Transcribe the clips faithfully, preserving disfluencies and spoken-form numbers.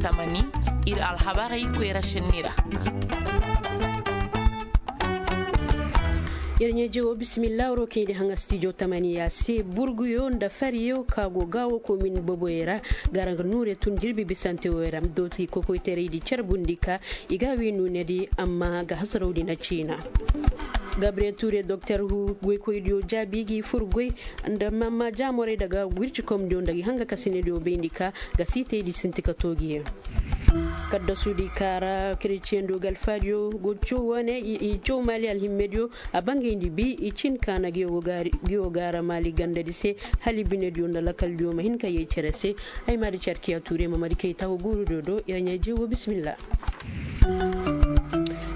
Tamani, ir alhabarey koyra senni ra. Yer ɲaaje wo bisimilla woro kaŋ i di haŋa stijo tamaniya se burguyo nda fariyo ka go gaawo komin boboyey ra, gara ga nuure tun jirbi bisante wo ra dooti kokoytaray di carbundi ka i ga wi nuune di amma ga hasaraw di na ciina. Gabriel ture doktor hu goykoydiyo jaabi gi fur goy nda mamma jaamorey daga wircikomdiyo nda gi hanga kasinediyo bayndi ka ga siitey di sinti ka toogiyaŋ. Kaddasudi kaara kereciyando ga alfaadiyo go caw wane i caw maali alhimmediyo a bangayndi bi i cin kaana giyo gaara maali gandadi se hala i binediyo nda lakaldiyo ma hin ka yee cere se. Ay maadi carkiya tuure ma madi kay tawo guurudiyo do ira ɲaa jeewo bisimilla.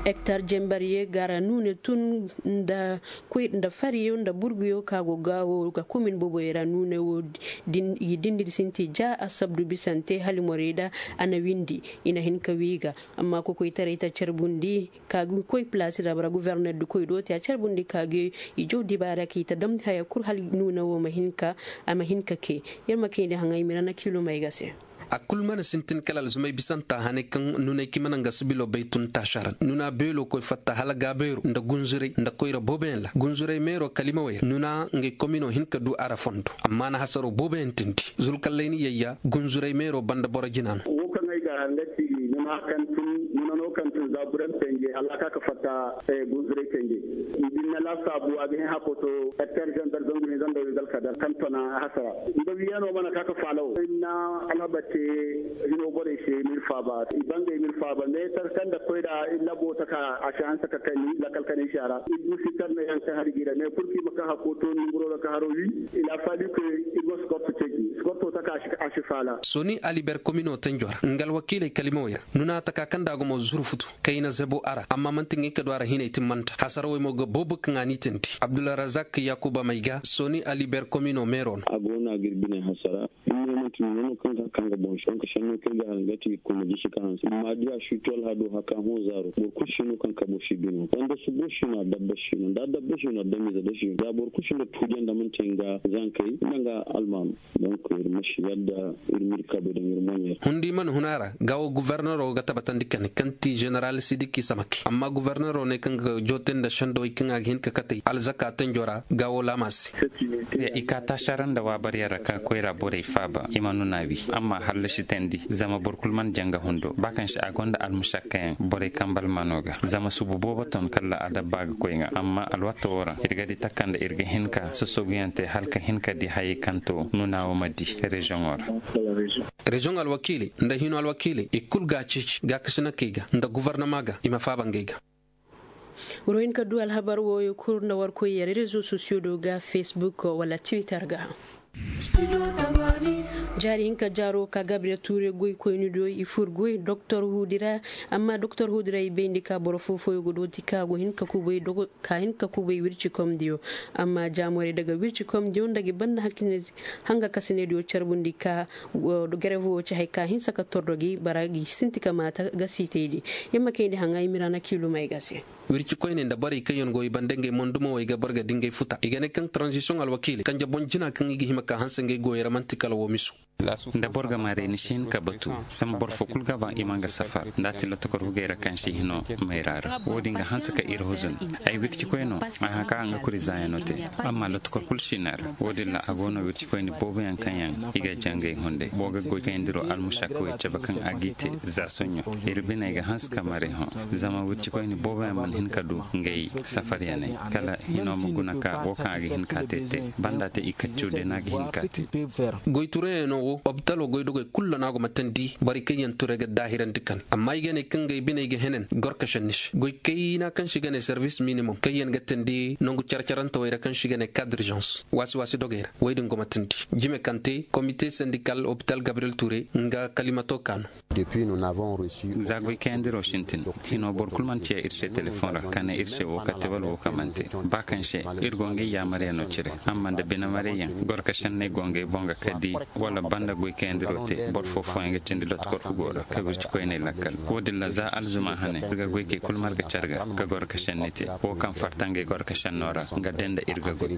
Hektar jembarye gara nuune tun nda koy nda fariyo nda burguyo ka go gaawo ga komin boboyo ra nuune wo i dindidi sinti ja a sabdu bisante halimorey da a na windi i na hin ka wii ga. Amma kokoytaray ta carbundi ka ga koy palaasi ra bara guverner di koy do te a carbundi ka ga i jaw dibaara ka i ta damndi haya kul hala nuune wo ma hin ka a ma hin ka kay. Yer ma kayndi haŋay mira na kiilumey ga se. A kul mana sintin kala alzumay bisanta hanay kaŋ nunay ka i mana nga sibilo bay tun taasara nuna beelo koy fatta hala gaabeero nda gunzuray nda koyra booboyaŋ ra gunzuray meero kalimawey ra nuna ngey komino hin ka du ara fondo amma na hasaro booboyaŋ tindi zulkallayni yayya gunzuray meero banda boro jina no. Wo kaŋ ay ga nga ci nuna kaŋ tun nuna no kaŋ tun zaburan tenje hala ka ka fatta gunzuray tenje. Din na lasaabu a ga hin hakoto hektar zangar zangu hin zanda wigal kadar kaŋ tona hasara. Nda wiyano mana ka ka faalawo inna alhabate hino borey se mil faaba i bangay mil faaba meetar kaŋ da koy da labo taka a si hanse ka kani lakal kani si a ra i du si tarna yaŋ kaŋ hari gi ra mais purki ma ka hakko to nunguro ra ka haro wi. Il a faali ke i go skorto cegi skorto taka a si faala. Soni aliber komino tanjo ra nga alwakiiley kalimawey ra nuna taka kaŋ da a go mo zuru futu kayna zebo a ra amma manti ngey ka du a ra hinay timmanta hasarawey mo ga boobo kaŋ a n'i tindi abdulrazak yakuba mayga soni aliber komino meero no. A go no a ga ir biney hasara. Hinne manti nono kaŋ ga kaŋ ga boŋ se donk senno kaŋ ga hara nga ti ir koy ma gisi ka hanse amma di a si to alhado haka hõ zaaro boro kulu si no kaŋ kabo si bino wanda subo si no a dabba si no nda a dabba si no a damize da si no za boro kulu si no tuuja nda manti nga zankey nda nga almaano. Donc ir ma si yadda ir ma ir kabe daŋ ir moɲey ra. Hundi mana hun a ra gaawo guvernero ga tabatandi kani kaŋ ti general sidiki samake amma guvernero ne kaŋ ga joote nda sendowey kaŋ a ga hin ka katey alzaka tanjo ra gaawo laama se. I ka taasara nda waabaryaŋ ra ka koyra borey faaba i ma nuna wi amma hallasi teendi zama boro kul mana jaŋ ga hundo ba kaŋ se a gonda almušakkayaŋ borey kamba almaano ga zama subu boobo ton kala adabba ga koy ŋa amma alwatta woo ra ir ga di taka nda ir ga hin ka sosoguyaŋ te hala ka hin ka di hayey kaŋ to nuna wo ma di reziyoŋo ra. Reziyoŋ alwakiiley nda hino alwakiiley i kul ga a ceeci gaakasinakey ga nda guvarnama ga i ma faaba ngey ga. War hin ka du alhabar wooyo kul nda war koy yar rezo sosiyo do ga facebook wala twitter ga. Jaari hinka jaaro ka gabriel tuure goy koyni do i fur goy doktor huudi ra. Amma doktor huudi ra i bayndi ka boro foo fooyo go dooti ka go hin ka kubay dogo ka hin ka kubay wircikomdiyo. Amma jaamorey daga wircikomdiyo nda gi banda hanga kasinediyo carbundi ka garevo wo ci hay ka hinsa ka tordo gi bara gi sinti ka maata ga siitaydi. Yamma kayndi haŋa i mira na kiilumey ga se. Wircikoyney nda borey kaŋ yaŋ go i banda ngey mondumawey ga boro ga di ngey futa i ga ne kaŋ taranzisiyoŋ alwakiiley kanje boŋ jina kaŋ i ga hima ka hanse ngey goyey ra man'ti kala woo misu. Nda boro ga maray ni si hin ka batu. Zama boro foo kul ga ba i ma nga safar nda a ti lotokor hugey ra kaŋ si hino mayra ra woo din ga hanse ka ir huzun. Ay wircikoyno a hã ka a nga kuri zaayano te. Amma lotokor kul si ne ra woo din ra a go no wircikoyni booboyaŋ kaŋ yaŋ i ga jangay hunday boo ga goy kayandiro almušakawey cabe kaŋ a g'i te za soɲõ. Ir biney ga hanse ka maray hõ. Zama wircikoyni booboyaŋ mana hin ka du ngey safaryaney kala hino ma guna ka woo kaŋ a ga hin ka te te. Banda te i kaccu day no a ga hin ka te. Goy turayaŋo wo opitalo goydogey kulu no a go ma teendi borey kaŋ yaŋ ture ga daahirandi kane amma i ga ne kaŋ ngey biney ga henen gorkašandi se goy kayna kaŋ se i ga ne servis minimom kaŋ yaŋ ga teendi nangu care-carantawey ra kaŋ se i ga ne kadrizans waasi-waasi dogey ra wey din go ma teendi. Jime kaŋ te komite sendikal opital gabriel ture nga kalimato ka no. Za goy kayandiro sintin hino boro kul mana ciya ir se telefoŋ ra ka ne ir se woo ka te wala woo ka mana te. Ba kaŋ se ir go ngey yaamaryaŋo cire amma nda bine marayyaŋ gorka senney go ngey boŋ ga ka di wala Nda goy kayandiro te boro foo fooyaŋ ga cindi lotti korku go ra ka wirci koyney lakkal. Wo- din ra za alzuma hane ir ga goy kay kul marga care ga ka goro ka šenni te. Wo kaŋ farta ngey goro ka šenno ra nga day nda ir ga goy.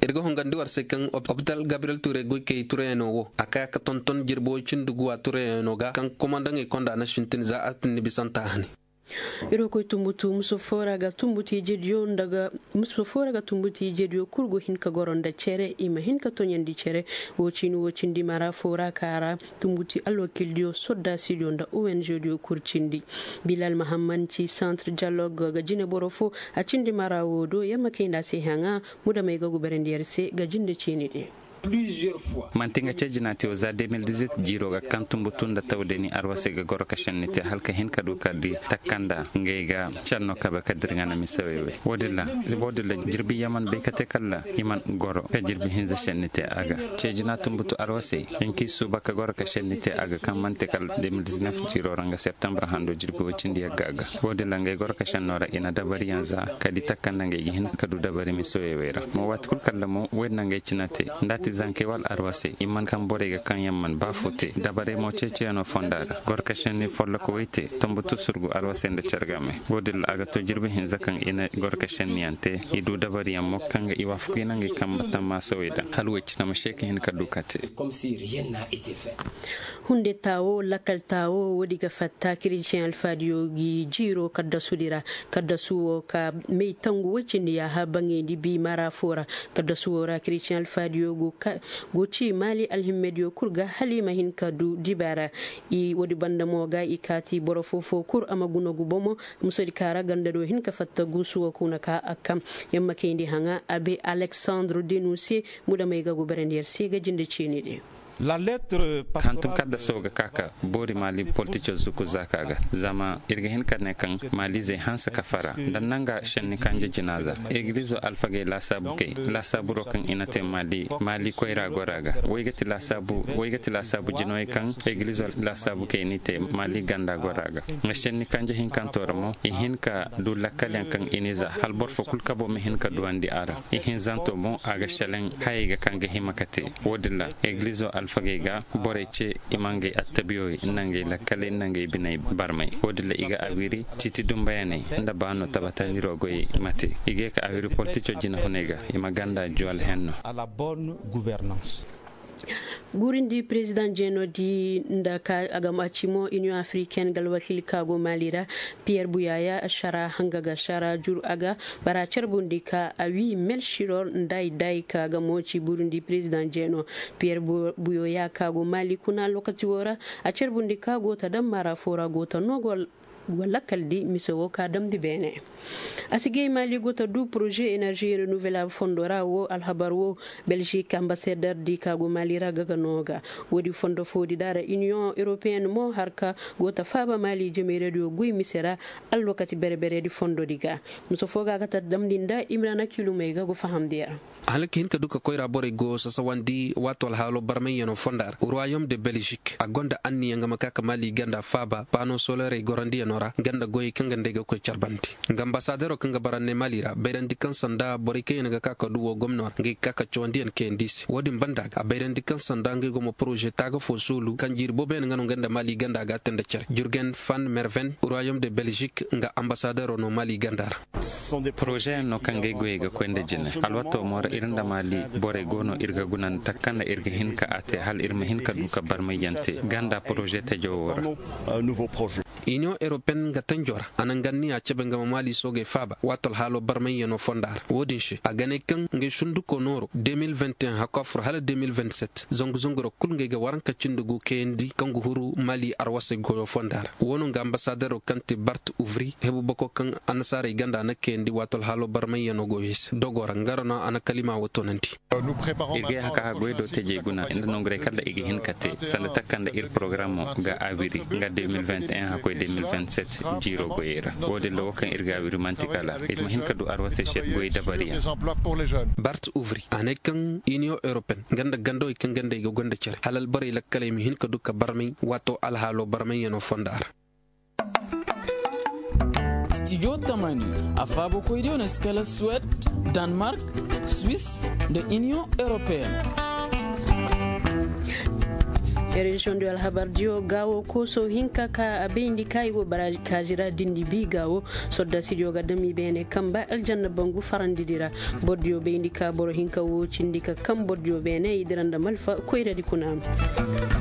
Ir ga hongandi war se kaŋ opital gabriyel ture goy kay tureyaŋo wo a kaya ka tonton jirbi woy cindi guwa tureyaŋo ga kaŋ komandaŋey konda na sintin za altinni bisanta hane. Iri wo koy tumbutu muso foo ra ga tumbutu ijediyo nda ga muso foo ra ga tumbutu ijediyo kul go hin ka goro nda cere i ma hin ka toɲandi cere. Wo cini wo cindi mara foo ra ka ra tumbutu alwakildiyo soddasidiyo nda ong diyo kul cindi. Bilal mahamman ci santre dialog ga jine boro foo a cindi mara woo do yer ma kay nda a se haŋa. Mudamey ga guberandi yer se ga jinde ciini din. Manti nga ceejinaati wo za deux mille dix-huit jiiro ga kaŋ tumbutu nda tawdani arwasey ga goro ka šenni te hala ka hin ka du ka di takanda ngey ga šenno kabe ka dirŋa na mise wey wey. Wo- din ra jirbi yaman bay ka te kala i man goro ka jirbi hinza šenni te a ga. Ceejina tumbutu arwasey hinka i suuba ka goro ka šenni te a ga kaŋ manti kala deux mille dix-neuf jiiro ra nga septembre hando jirbi woy cindi yagga a ga. Wo- din ra ngey goro ka šenno ra i na dabariyaŋ za ka di takanda ngey ga hin ka du dabari mise wey wey ra. Mo waati kul kala mo wey na ngey cina te nda a ti zankey wala arwasey i man kaŋ borey ga kaŋ yaŋ man ba foo te dabarey mo ceeciyaŋo fonda ra. Goro ka šenni folloko wey te tumbutu surgu arwasey nda cargamey. Wo- din ra a ga to jirbi hinza kaŋ i na goro ka šenniyaŋ te i du dabariyaŋ mo kaŋ ga i waafaku i na ngey kambe tammaasa wey daŋ hala wey cina ma se ka hin ka du ka te. Hunde taawo lakkal taawo woodi ga fatta kiristiyaŋ alfaadiyo gi jiiro kaddasudi ra. Kaddasu wo ka may tangu woy cindi yaaha baŋayndi bi mara foo ra. Kaddasu wo ra kiristiyaŋ alfaadiyo go ci maali alhimmediyo kul ga hala i ma hin ka du dibaara. Woodi banda mo ga i kaati boro foo foo kul a ma gunagu bomo. Musodi ka ra ganda do hin ka fatta guusu wo kuna ka a kam. Yer ma kayndi haŋa abe aleksandre denunse. Mudamey ga guberandi yer se ga jinde ciini din. Hantum kaddaso ga ka ka boori maali politico zuku zaaka ga. Zama ir ga hin ka ne kaŋ maalizey hanse ka fara nda nanga šenni kanje jina za. Egilizo alfagey laasaabukey laasaaburo kaŋ i na te maali koyra gora ga. Way ga ti laasaabu jinoyey kaŋ egilizo laasaabukey n'i te maali ganda gora ga. Nga šenni kanje hinkanto ra mo i hin ka du lakkalyaŋ kaŋ i n'i za hala boro fo kul kabo ma hin ka duwandi a ra. Ihinzanto mo a ga šelaŋ hayey ga kaŋ ga hima ka te. Wo- din ra egilizo alfagey ga borey ce i ma ngey attabiyoy nda ngey lakkaley nda ngey biney barmay. Wo- din ra i ga a wiri ciiti dumbayaney nda baano tabatandiro goyey ma te. I ga ye ka a wiri politico jinahuney ga i ma ganda juwal henno. Guurindi perezidaŋ jeenoodi nda ka a ga ma ci mo iniyoŋ afiriken ga alwakiili ka go maali ra. Piyer buyaya ašara hanga ga ašara jur a ga bara carbundi ka a wi mel siror nda ay day ka ga mo ci burundi perezidaŋ jeeno. Piyer buyoya ka go maali kuna lokaci wo ra a carbundi ka go ta daŋ mara fo ra go ta no go lakkal di mise wo ka damndi beene. A si gay maali go ta du poroze enerzi renouvelabu fondo ra wo alhabar wo. Belzik ambasador di ka go maali ra ga ga no ga. Woodi fondo foodi da ra iniyoŋ europeyen mo har ka go ta faaba maali jamayradiyo goy mise ra. Alwakati bere-beredi fondodi ga. Mise fo ga ga ta damndi nda imrana kilumey ga go fahamndi yer. Hala ka hin ka du ka koyra borey go sasawandi waato alhaalo barmayyano fonda ra ruwayom de belzik a gonda anniya nga ma ka ka maali ganda faaba paano solerey gorandiyanoo ra nga nda goyey kaŋ ga nd'ey ga koy carbandi. Nga ambasadero kaŋ ga bara ne maali ra bayrandi kaŋ sanda borey kaŋ yaŋ ga ka ka du woo gomno ra ngey ga ka ka cawandiyaŋ kayandi se woo din banda ga a bayrandi kaŋ sanda ngey go ma poroze taaga foo soolu kaŋ jiiri booboyaŋ nga no nga nda maali ganda ga a te nda care jurgen fan merven ruwayom de belzik nga ambasadero no maali ganda ra. Porozeyaŋ no kaŋ ga ay goyey ga koy nda jine alwatoo mo ra ir nda maali borey go no ir ga guna nda taka kaŋ nda ir ga hin ka a te hala ir ma hin ka du ka barmayyaŋ te ganda poroze tajoo woo ra. Iniyoŋ europeyen ga tanjoo ra a na nga anniya cabe nga ma maali soogey faaba waato alhaaloo barmayyanoo fonda ra woo din se a ga ne kaŋ ngey sundukoo nooroo deux mille vingt et un hakoo a fur hala deux mille vingt sept zangu zangu ra kul ngey ga waranka cindi gu kayandi kaŋ ga huru maali arwasey goyoo fonda ra woo no nga ambasaderoo kaŋ ti bart uvri hebu bako kaŋ annasaarey ganda a na kayandi waato alhaaloo barmayyanoo goyey se dogoo ra nga ra no a na kalimaa woo toonandi. Ir ga yee haka goy do tejey guna nda nongurey kala i ga hin ka te sanda taka nda ir porogaramoo ga a wiri nga deux mille vingt et un hakoy deux mille vingt sept jiiroo goyey ra woo din ra woo kaŋ ir ga a wiri man'ti kala ir ma hin ka du arwasey se goy dabariyaŋ. Bart uvri a ne kaŋ iniyoŋ europeyen nga nda gandawey kaŋ gandey ga goy nda care hala alborey lakkaley ma hin ka du ka barmay waatoo alhaaloo barmayyanoo fonda ra. Stijo tamani a faabakoydiyo na si kala suwed, danmark, swis, nda iniyoŋ europeen. Reziyoŋ diyo alhabar diyo gaawo kooso hinka ka a bayndi ka i go baraaji kaazi ra dindi bi gaawo. Sodda sidiyo ga dam i beene kamba aljanna bangu farandi di ra. Boro diyo bayndi ka boro hinka wo cindi ka kam boro diyo beene i dira nda malfa koyradi kuna.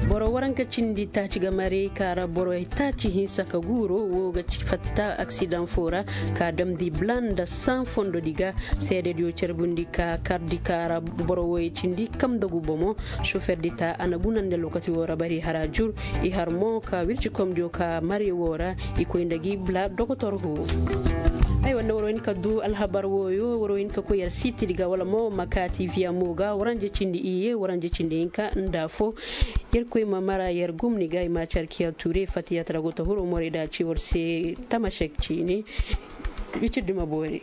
Boro waranka cindi taaci ga marey ka ra boro taaci hinsa ka guuro wo ga fatta aksidaŋ fo ra ka damndi bula nda saŋ fondodi ga. Seedediyo carbundi ka kardi ka ra boro woy cindi kam nda gu bomo. Soferdi ta a na guna nda lokaci wo ra bari hara jur. I har mo ka wircikomdiyo ka mari wo ra i koy nda gi bula dokotor go. Ay wanda waro hin ka du alhabar woyo waro hin ka koy yar sitidi ga wala mo makaati viya mo ga waranje cindi iye waranje cindi hinka nda fo. Yar koy ma mara yar gumni ga i ma carkiya ture fatiya tara go ta huro more da ci war se tamashek cini. Wicir duma bore.